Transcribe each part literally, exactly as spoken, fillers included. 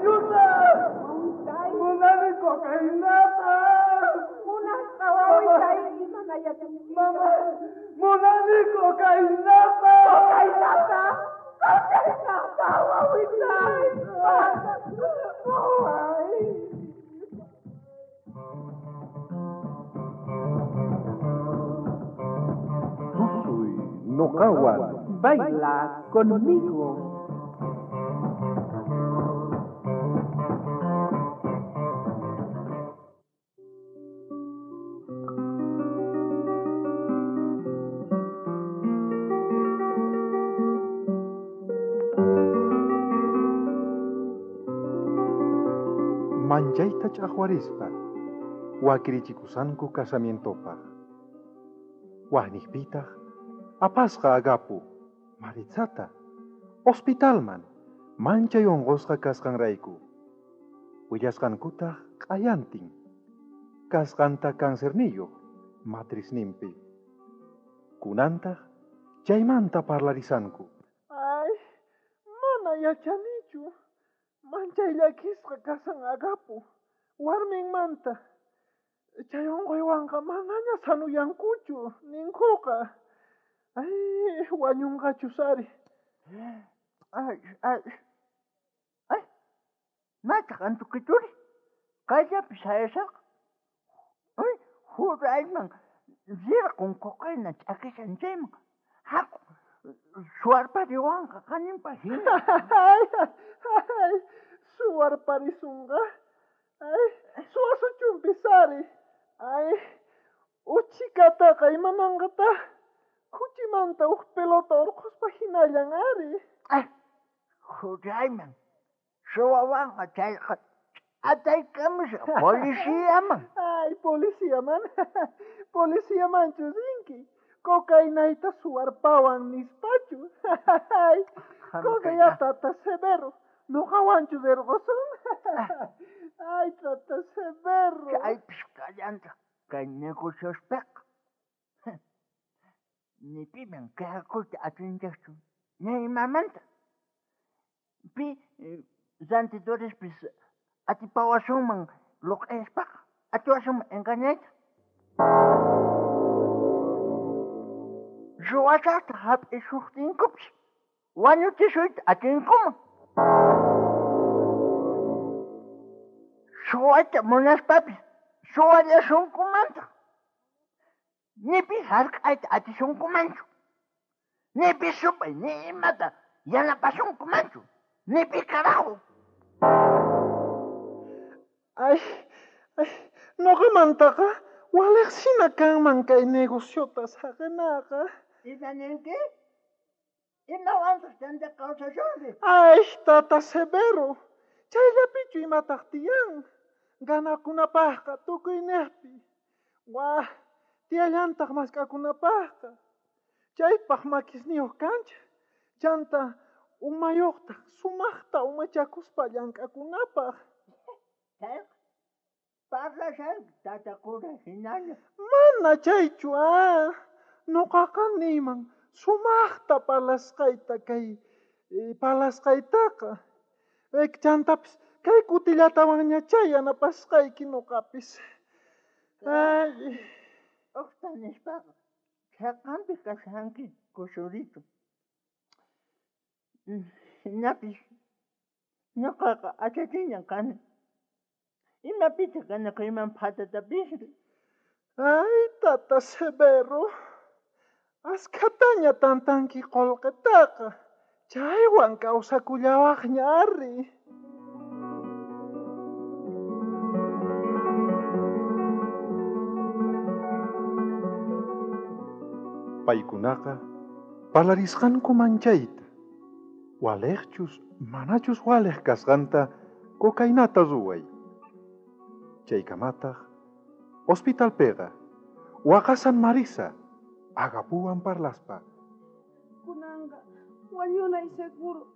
Wañusaj! Wawitay. Munani cocainata! Munasqa wawitay, imanayachunki. Mama, munani cocainata! Cocainata! Cocainata, wawitay! Ay. Tusuy noqawan. Baila conmigo. Manchayta ch'aqwarispa wakirichikusanku casamientopaj. Wajniqpitaq apasqa Agapu Maritzata hospitalman manchay unqusqa kasqanrayku. Willasqankutaq q'ayantin kasqanta cancerniyuq matrisninpi. Kunantaq chaymanta parlarisanku. Ay, mana yachanichu. Manchay llakisqa kasan Agapu warminmanta. Chay unquywanqa manaña sanuyankuchu ninkuqa. Ay, wañunqachus ari. Ay, ay, ay, maytaq antukituri, kayllapi sayashaqa. Ay, hurayman rirqun cocaína ch'akishan chayman. Haku, suwarpariwanqa qaninpa hina. Ay, ay, suwarparisunqa. Ay, suwasuchunpis ari. Ay, uchikataqa imananqataq. Kuchimanta uj pelota urqhuspa hinallan ari. Ay, hurayman suwawanqa chayqa ch'ataykamusha policiaman. Ay, policiaman. Policiamanchu rinki. Cocainayta suwarpawan nispachu. Ay, coca tata Severo. Noqawanchu rirqusun. Ay, tata Severo. Chaypis kallantaq kay negociospiqa. Ni piman quejakuyta atinchikchu, ni imamanta. Pi rantidorespis atipawasunman luq'ispaqa, atiwasunman engañayta. Ruwasaqta hap'isuqtinkupis wañuchisuyta atinkuman. Suwayta munaspapis suwallasunkumantaq. Ni pi hark'ayta atisunkumanchu. Ni pi supay ni imata yanapasunkumanchu. Ni pi carajo. Ay, ay, noqamantaqa waliqsina kanman kay negociota saqinaqa. Ima ninki? Imawantaq chanta kawsasunki? Ay, tata Severo, chayllapichu imataq tiyan. Ganakunapaqqa tukuyniqpi. Wah, tiyallantaq mask'akunapaqqa. Chaypaq makisniyuq kancha. Chanta umayuqtaq sumaqta umachakuspa llank'akunapaq. Chayqa parlashanki tata cura hinalla. Mana chaychu ah. Noqaqa niyman sumaqta parlasqayta kay eh, parlasqaytaqa. Eh, chantapis kay kutillatawanñachá yanapasqayki noqapis. Ay. Uqta nispaqa chhaqanpi kashanki kusurito. Hinapis noqaqa achachiñan kani. Imapitaq ganakuyman phatatapisri. Ay, tata Severo, askhataña tantanki qullqitaqa. Chaywan kawsakullawaqña ari. Paykunaqa parlarisqanku manchayta. Waliqchus manachus waliq kasqanta cocainata ruway. Chaykamataq hospitalpiqa waqasan Marisa Agapuwan parlaspa. Kunanqa wañunay seguro.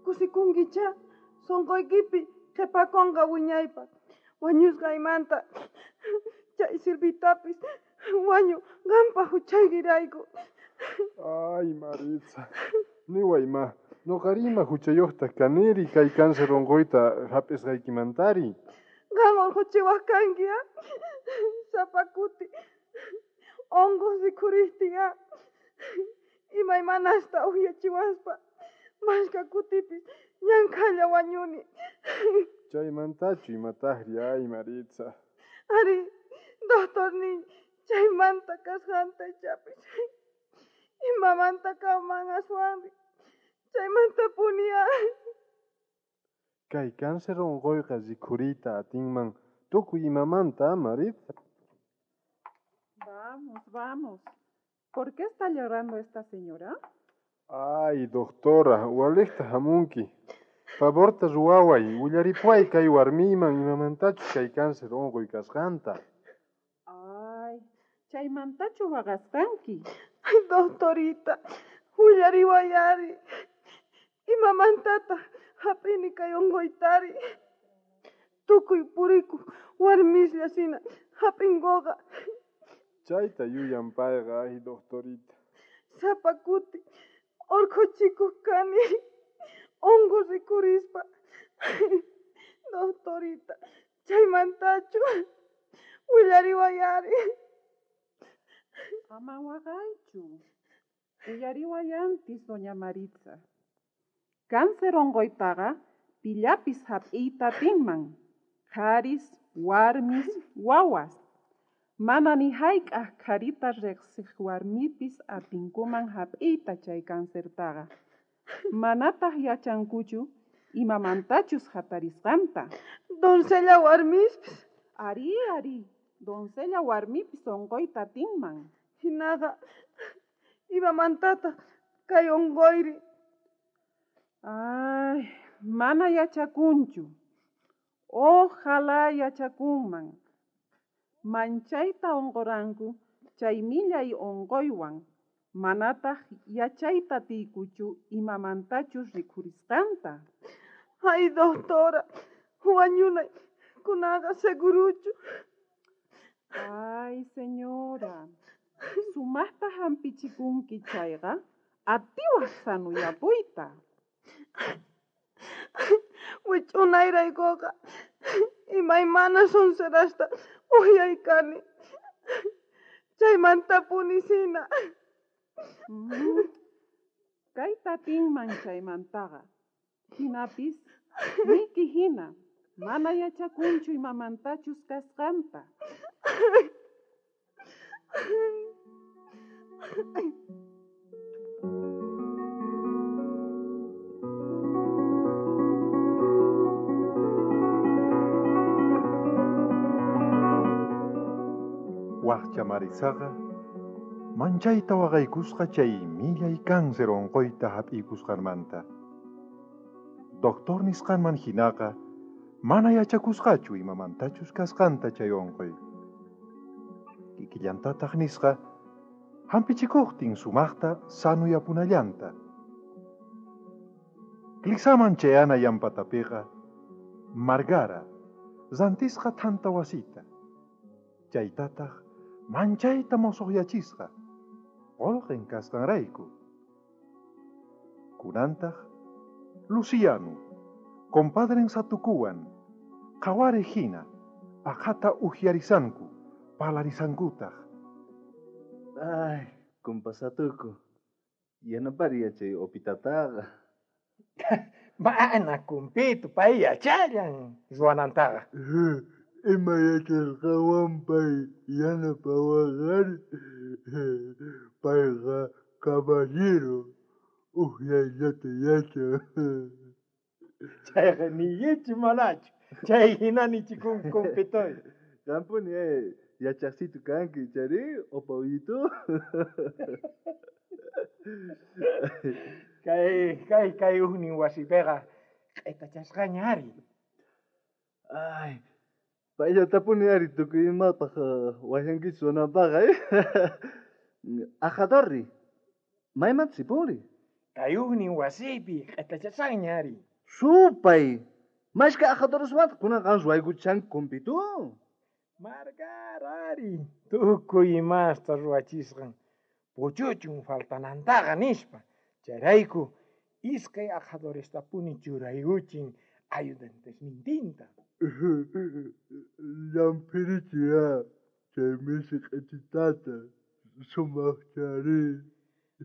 Kusikunkichá sunquykipi qhipakunqa wiñaypaq. Wañusqaymanta chay Silvitapis wañu qampa huchaykirayku. Ay, Maritza, niway ma, Noqarima huchayuqtaq kaniri kay cáncer unquyta hap'isqaykimantari. Qam urquchiwaq kanki, a? Sapa kuti unquq rikhuriqtin, a? Imaymanasta uqyachiwaspa mashka kutipis ñankhalla wañuni. Chaymantachu imataqri, ay Maritza. Ari, doctorniy, chaymanta kasqanta ichapis. Imamanta kanman aswanri. Chaymantapuni, a. Kay cáncer unquyqa rikhuriyta atinman tukuy imamanta, Maritza. Vamos, vamos. ¿Por qué está llorando esta señora? Ay, doctora, waliqta hamunki. Favorta ruwaway, willaripuway kay warmiyman imamantachus kay cáncer unquy kasqanta. Ay, chaymantachu waqasqanki. Ay, doctorita, willariway ari. Imamantataq hap'ini kay unquytari. Tukuy purikuq warmislla hina hap'inkuqa. Chayta yuyan payqa, ay, doctorita. Sapa kuti urquchikuq kani unquq rikhurispa. Doctorita, chaymantachu willariway ari. Ama waqaychu. Uyariway antis, doña Maritza. Cáncer unquytaqa pillapis hap'iyta atinman. Qharis, warmis, wawas. Mana ni hayk'aq qharita riqsiq warmipis atinkuman hap'iyta chay cancertaqa. Manataq yachankuchu imamantachus hatarisqanta. Doncella warmispis. Ari, ari, doncella warmipis unquyta atinman. Hinaqa, imamantataq kay unquyri. Ay, mana yachakunchu. Ojalá yachakunman. Manchayta unquranku chay millay unquywan. Manataq yachayta atiykuchu imamantachus rikhurisqanta. Ay, doctora, wañunay kunaqa seguruchu. Ay, señora, sumaqta hampichikunki chayqa atiwaq sanuyapuyta. Wich'unayraykuqa imaymana sonserasta uqyaykani. Chaymantapuni hina. Mm. Kayta atinman chaymantaqa. Hinapis, niyki hina, mana yachakunchu imamantachus kasqanta. Waqcha Maritzaqa manchayta waqaykusqa chay millay cáncer unquyta hap'iykusqanmanta. Doctor nisqanman hinaqa mana yachakusqachu imamantachus kasqanta chay unquy. Kikillantataq nisqa hampichikuqtin sumaqta sanuyapunallanta. Clisaman chayana yampatapiqa Margara rantisqa thanta wasita. Chaytataq manchayta mosoqyachisqa qolqen kasqanrayku. Kunantaq Luciano, compadren Satukuwan, qhawariq hina, aqhata uhyarisanku, parlarisankutaq. Ay, compa Satuku, yanapari yachay opitataqa. Mana kumpitu, pay yachallan ruwanantaqa. Ima yachasqanwan pay yanapawaqari. Payqa caballero, uhyayllata yachan. Chayqa niyichu manachu, chay hina nichikun kumpituy. Qampuni eh, yachaqsitu kanki, chari, opawito. Kay, kay, kay ujnin wasipiqa q'itachasqaña ari. Ay, payllatapuni ari tukuy imapaq wayankichu ruwananpaq, eh. Ajadorri, maymanta sipuri. Kay ujnin wasipi q'itachasqaña ari. Supay, mashka ajadorusmanta kunan qan ruwaykuchanki kumpitu. Margara ari, tukuy imasta ruwachisqan puchuchun faltanantaqa nispa. Chayrayku Iskay aqhadorestapuni churaykuchin ayudantesnintinta. Llamphirichiya chay misi q'ititata sumaqchari.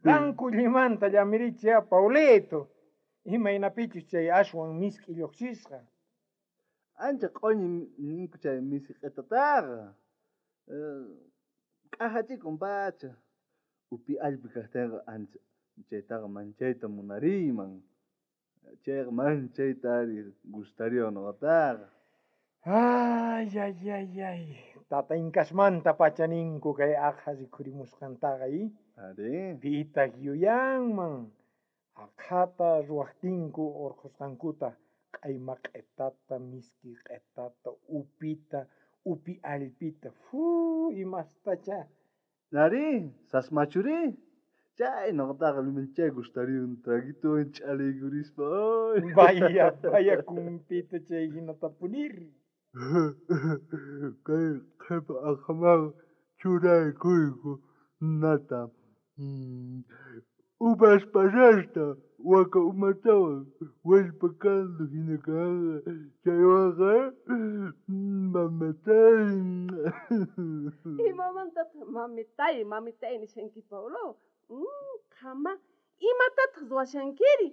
Qankullimanta llamirichiya Paulito. Imaynapichus chay aswan misk'i lluqsisqa. Ancha q'uñi ninku chay misi q'itataqa. K'ajachikun pacha. Upi allpi kaqtinqa ancha chaytaqa manchayta munariyman. Chayqa manchayta ari gustariwan nuqataqa. Ay, ay, ay, ay. Tata Incasmanta pacha ninku kay aqha rikhurimusqantaqa i. Ari. Pitaq yuyanman. Aqhata ruwaqtinku urqhusqankuta q'ayma q'itata, miski q'itata, upita, upi allpita, fu imastacha. Ari, sasmachuri. Chay nuqataqa manchay gustariwan traguitowan ch'alaykurispa. Ay. Vaya, vaya kumpito chay hinatapunir. Kay qhipa aqhamanqa churaykuyku nata. Uvas pasasta waka umatawan wallpa caldo hina kanqa chaywanqa mamitay. Imamantataq mamitay, mamitay nishanki Paulo? Qhama, imatataq ruwashankiri?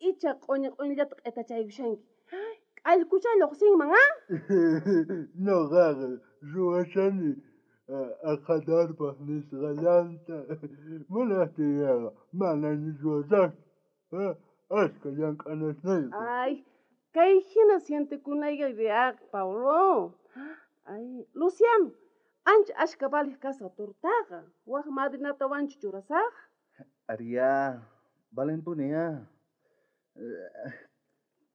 Icha q'uñi q'uñillata q'itachaykushanki. K'allkucha lluqsinman, ah? Nuqaqa ruwashani aqhatarpaq nisqallanta. Munaqtiyqa manani ruwasaqchu. Ashka llank'anasniyqa. Ay, kay hina sientekunayqa riaq, Paulo. Ay, Luciano, ancha ashka valiq kasqa tortaqa. Wak madrinatawanchu churasaq? Ariya, valenpuni ya.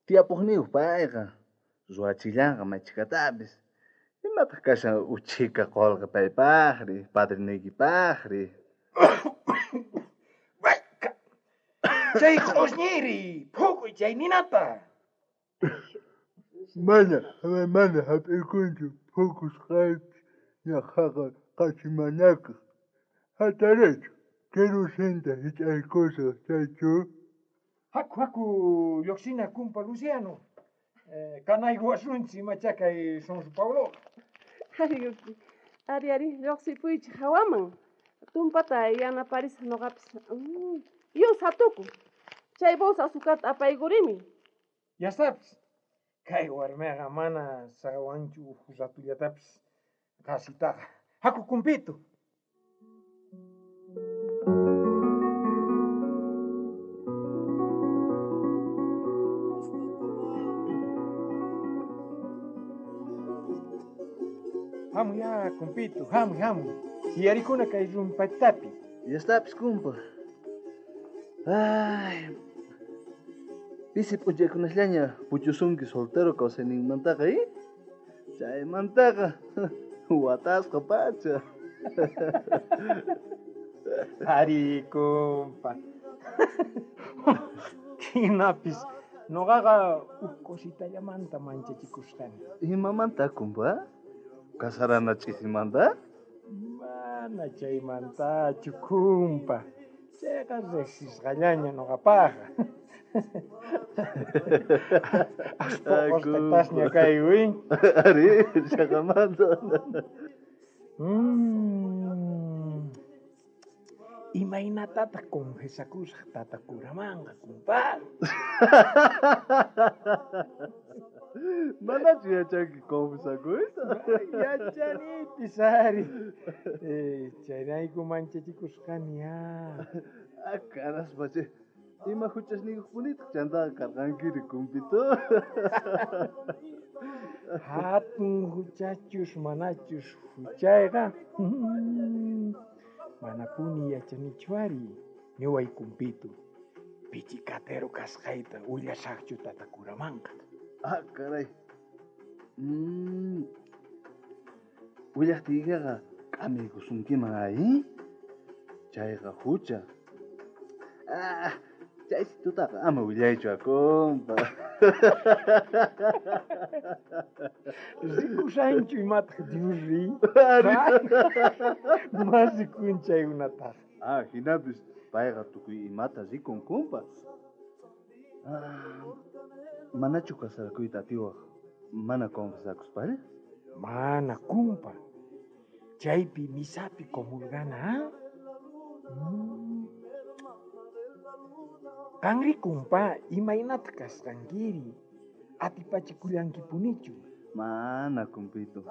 Tiyapuqniyuq payqa. Ruwachillanqa machikatapis. Imataq kashan uchhika qulqi paypaqri, padriniykipaqri. Chay q'usñiri, phukuy chay ninata. Mana, mana hap'ikunchu phukusqaypis ñaqhaqa qasimanakaq. Hatarichu, kerosinta hich'aykusaq chaychu. Haku, haku, lluqsina kumpa Luciano. Eh, kanaykuwasunchik imacha kay Sonso Paulo. Ay, ari, ari, lluqsipuychik hawaman. Tumpata yanaparisaq nuqapis. Mm, Yus hatuku. Chay bolsa azucarta apaykurimi. Ya sabes, kay warmiqa mana saqawanchu uj ratullatapis qasitaqa. Haku kumpito. Hamuy ya, kumpito, hamuy, hamuy. Tiyarikuna kay rumpatapi. Ya estapis, kumpa. Ay, pisi p'unchaykunasllaña puchusunki soltero kawsayninmantaqa, eh? Chaymantaqa watasqa pacha. Ari, kumpa. Hinapis nuqaqa uj cositallamanta manchachikusqani. Imamanta, kumpa? Kasarana ch'isimanta? Mana chaymantachu, kumpa. Chayqa riqsisqallaña nuqapaqqa. Aspoqosqatasña kaywi. Ari, chaqamanta. Mm. Imaynatataq confesakusaq tata curamanqa, kumpa? Manachu yachanki confesakuyta? Yachanipis ari. Eh, chayrayku manchachikusqani ya. Ah, caraspa chay. Ima huchasniyuqpunitaq chantaqa karqankiri, kumpito. Hatun huchachus manachus huchayqa. Manapuni yachanichu ari. Niway kumpito. Pichicatero kasqayta willasaqchu tata curamanqa. Ah, caray. Mm. Willaqtiykiqa k'amiykusunkiman ay. Chayqa hucha. Ah, chaysitutaqa ama willaychu, kumpa. Rikushanchu imataq Diosri? Mas rikun chaykunataqa. Ah, hinapis payqa tukuy imata rikun, kumpa. Ah, manachu kasarakuyta atiwaj mana confesakuspalla? Mana, kumpa. Chaypi misapi comulgana, ah? Mm. Qanri kumpa, imaynata kasqankiri? Atipachikullankipunichu? Mana, kumpito.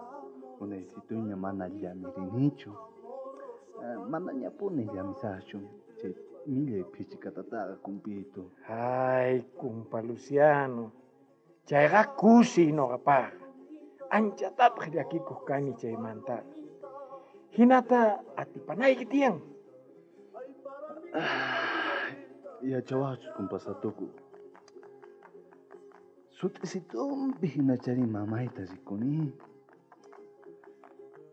Unaysituña mana llamirinichu. Uh, manañapuni llamisaqchu chay millay phichikatataqa, kumpito. Ay, kumpa Luciano. Chayqa kusiy noqapaqqa. Anchatataq llakikuq kani chaymantaqa. Hinata atipanayki tiyan. Yachawaqchus, kumpa Satuku. Sut'isitumpi hinachari mamayta rikuni.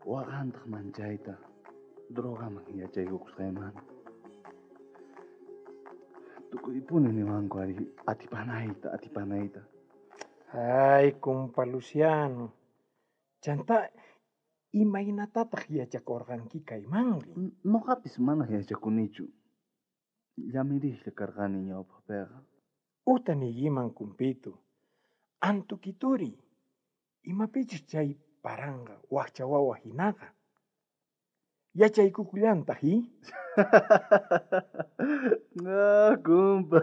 Waqantaq manchayta drogaman yachaykukusqaymanta. Tukuypuni niwanku ari atipanayta, atipanayta. Ay, kumpa Luciano. Chanta, imaynatataq yachakurqanki kaymanri? Noqapis mana yachakunichu. Llamirijlla karqani ñawpaqpiqa. Uta niykiman, kumpito. Antukituri, imapichus chay paranqa wakcha wawa hinaqa. Yachaykukullantaq, i? No, kumpa.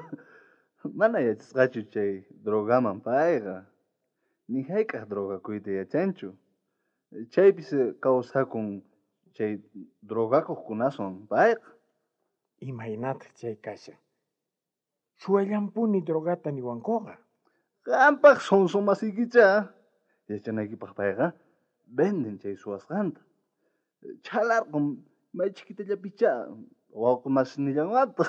Mana yachasqachu chay drogaman payqa. Ni hayk'aq drogakuyta yachanchu. Chaypis kawsakun chay drogakuqkunaswan payqa. Imaynataq chay kashan? Suwallampuni drogata niwankuqa. Qampaq sonso masiykicha. Yachanaykipaq payqa venden chay suwasqanta. Chhalarqun may chiquitallapicha wawqi masinillanwataq.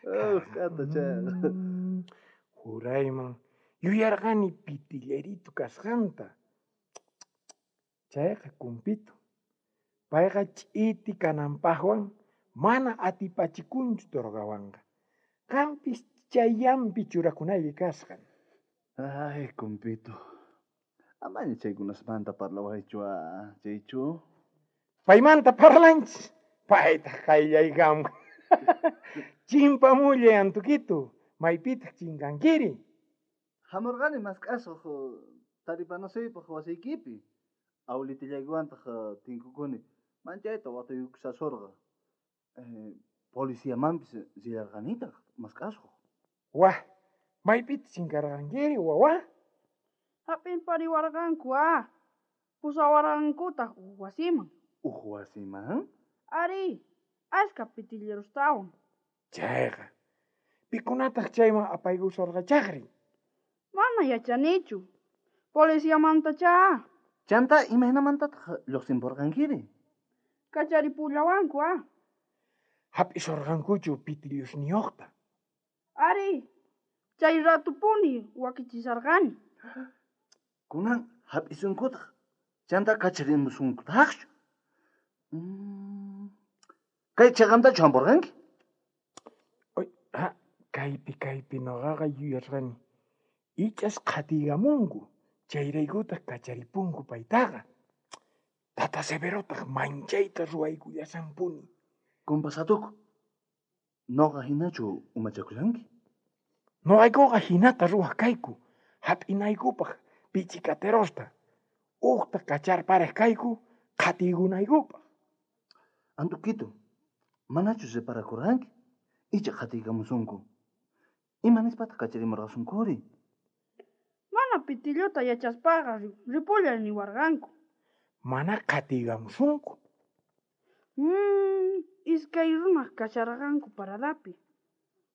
Oh, k'ata chayqa. Jurayman yuyarqani pitillerito kasqanta. Chayqa kumpito. Payqa ch'iti kananpaqwan mana atipachikunchu drogawanqa. Qampis chayllampi churakunayki kasqan. Ay, kumpito. Amaña chaykunasmanta parlawaychu, chaychu. Paymanta parlanchis. Paytaq qayllaykamun. Chimpamullay, Antukito. Maypitaq chinkankiri? Hamurqani mask'asuq taripanasuypaq wasiykipi. Awlitillaykewantaq tinkukuni. Manchayta watuykusasurqa. Eh, policiamanpis rillarqanitaq mask'asuq. Wah, maypitaq chinkarqankiri, wawa? Hap'irpariwarqanku, ah. Pusawarqankutaq uj wasiman. Uj wasiman? Ari, ashka pitillerustawan. Chayqa, pikunataq chayman apaykusurqachaqri? Mana yachanichu. Policiamantachá. Chanta, imaynamantataq lluqsinpurqankiri? Kacharipullawanku, ah. Hap'isurqankuchu pitillusniyuqta? Ari, chay ratupuni wakichisarqani. Kunan hap'isunkutaq, chanta kacharimusunkutaqchu. Mm. Kay chiqantachu hampurqanki? Oy, ha, kaypi kaypi noqaqa yuyarqani. Ichas qhatiykamunku, chayraykutaq kacharipunku paytaqa. Tata Severotaq manchayta ruwaykullasanpuni. Kumpa Satuku, noqa hinachu umachakushanki? Noqaykuqa hinata ruwaq kayku, hap'inaykupaq pichikaterosta. Uqta kacharparej kayku, qhatiykunaykupaq. Antukito, manachu reparakurqanki? Icha qhatiykamusunku. Ima nispataq kacharimurqasunkuri? Mana pitilluta yachaspaqa ripullay niwarqanku. Mana qhatiykamusunku. Mm, iskay runaq kasharqanku paradapi.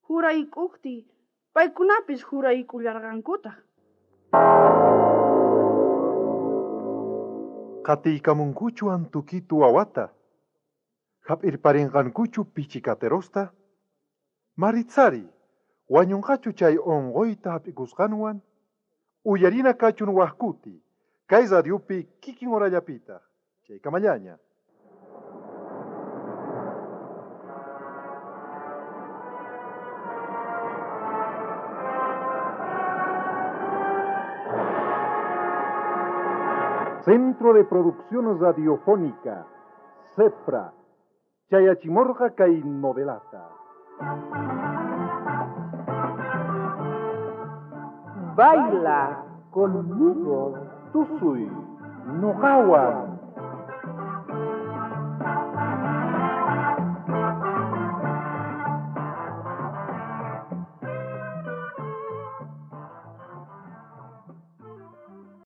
Jurayk'uqti paykunapis juraykullarqankutaq. Qatiykamunkuchu Antukitu wawata? Hap'irparinqankuchu pichikaterosta? Maritzari, wañunqachu chay unquyta hap'ikusqanwan? Uyarina kachun waqkuti, kay radiopi kikin horallapitaq, chaykamallaña. Centro de Producción Radiofónica, CEPRA, Chayachimorga kay novelata. Baila conmigo. Tusuy, noqawan.